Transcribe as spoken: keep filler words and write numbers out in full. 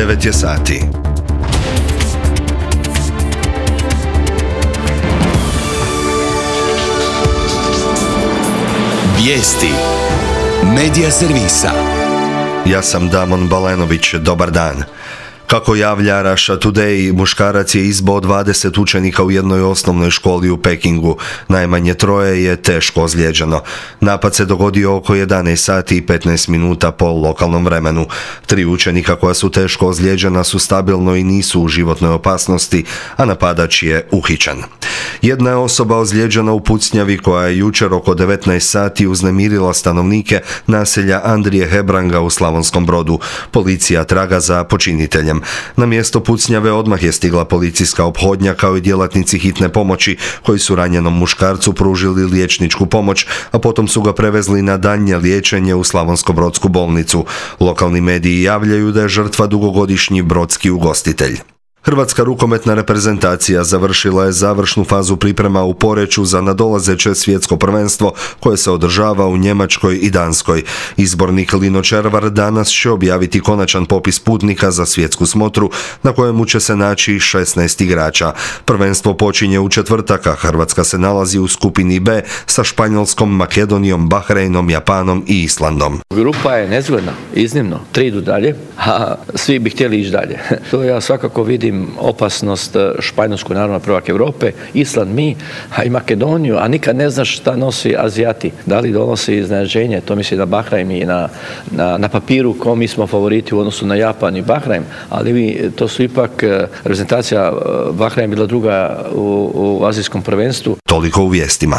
devet je sati. Vijesti Medija servisa. Ja sam Damon Balenović, dobar dan. Kako javlja Russia Today, muškarac je izboo dvadeset učenika u jednoj osnovnoj školi u Pekingu. Najmanje troje je teško ozlijeđeno. Napad se dogodio oko jedanaest sati i petnaest minuta po lokalnom vremenu. Tri učenika koja su teško ozlijeđena su stabilno i nisu u životnoj opasnosti, a napadač je uhićen. Jedna je osoba ozlijeđena u pucnjavi koja je jučer oko devetnaest sati uznemirila stanovnike naselja Andrije Hebranga u Slavonskom Brodu. Policija traga za počiniteljem. Na mjesto pucnjave odmah je stigla policijska ophodnja kao i djelatnici hitne pomoći koji su ranjenom muškarcu pružili liječničku pomoć, a potom su ga prevezli na daljnje liječenje u Slavonsko-brodsku bolnicu. Lokalni mediji javljaju da je žrtva dugogodišnji brodski ugostitelj. Hrvatska rukometna reprezentacija završila je završnu fazu priprema u Poreču za nadolazeće svjetsko prvenstvo koje se održava u Njemačkoj i Danskoj. Izbornik Lino Červar danas će objaviti konačan popis putnika za svjetsku smotru na kojemu će se naći šesnaest igrača. Prvenstvo počinje u četvrtak, a Hrvatska se nalazi u skupini B sa Španjolskom, Makedonijom, Bahreinom, Japanom i Islandom. Grupa je nezgodna, iznimno. Tri idu dalje, a svi bi htjeli ići dalje. To ja svakako vidim opasnost Španjolsku, naravno prvak Europe, Island mi, a i Makedoniju, a nikad ne znaš šta nosi Azijati. Da li donosi iznenađenje, to misli na Bahrein i na, na, na papiru ko mi smo favoriti u odnosu na Japan i Bahrein, ali mi, to su ipak reprezentacija Bahrein bila druga u, u azijskom prvenstvu. Toliko u vijestima.